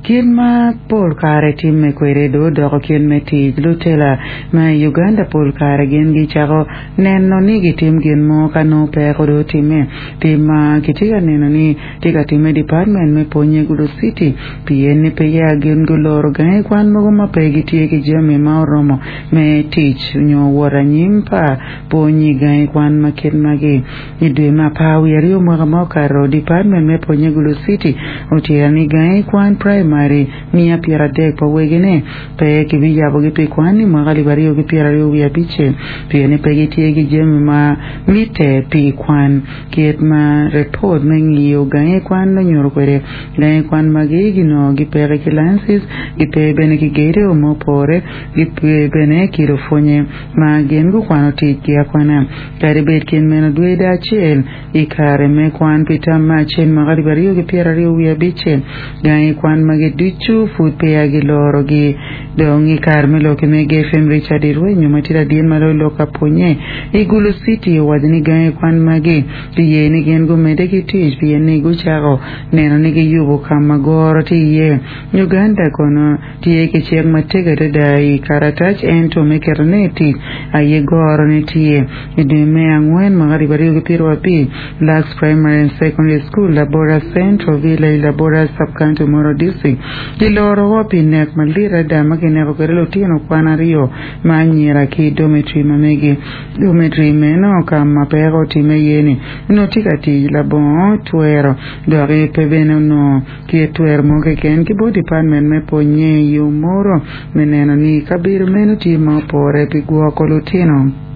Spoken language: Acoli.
Kit ma pol kare timme kwede dong odoko kit me tic, lutela ma i Uganda pol kare gin gicako neno ni gitim gin mo ka nongo peko dong otimme. Tim ma kitye ka neno ni tye ka timme i dipatmen me pwonye i Gulu City pien ni peya gin guloro gangi kwan mogo ma pe gitye ki jami ma oromo me tic nyo wot anyim pa pwony i gangi kwan ma kit magi. I dwe me apar wiye aryo mwaka ma okato, Dipatmen me Pwonye Gulu City otito ni gangi kwan praimari miya pyeradek pa wegine pe kibiyabogi pi kwan i mwaka alip aryo ki pyeraryo wiye abicel pien ni pe gitye ki jami ma mitte pi kwan. Kit ma repot me ngiyo gangi kwan onyuto kwede, gangi kwan magi ginongo gipeke ki licenses, gipe bene ki gedo ma opore, gipe bene ki lupwonye ma gin gukwano ticgi akwana. Kadi bed kit meno, dwe acel i kare me kwan pi tam me acel mwaka alip aryo ki pyeraryo wiye abicel, gangi kwan magi ducu pud peya gilorogi. Dong i kare me lok i Mega FM, Richard Irwenyo ma tye ladit ma loyo lok ka pwonye i Gulu City owaco ni gangi kwan magi kiye ni gin gumedde ki tic pien ni gucako neno ni giyubo ka ma goro tye iye. Uganda kono Tye ki cik matek adada i karatac ento me ketone i tic aye gorone tye. I dwe me angwen mwaka alip aryo ki pyerabic, Lux Primary and Secondary School, Labora Central Village, Labora Sub-County, Omoro District, kiloro woko pi nek malit adada ma kineko kwede lutino kwan aryo ma anyira ki i dormitory ma megi. Dormitory meno ka ma peko otimme iye-ni onongo tye ka tic labongo twero doki pe bene onongo Tye twero mo keken ki bot dipatmen me pwonye i yo moro me neno ni kabedo meno tye ma opore pi gwoko lutino.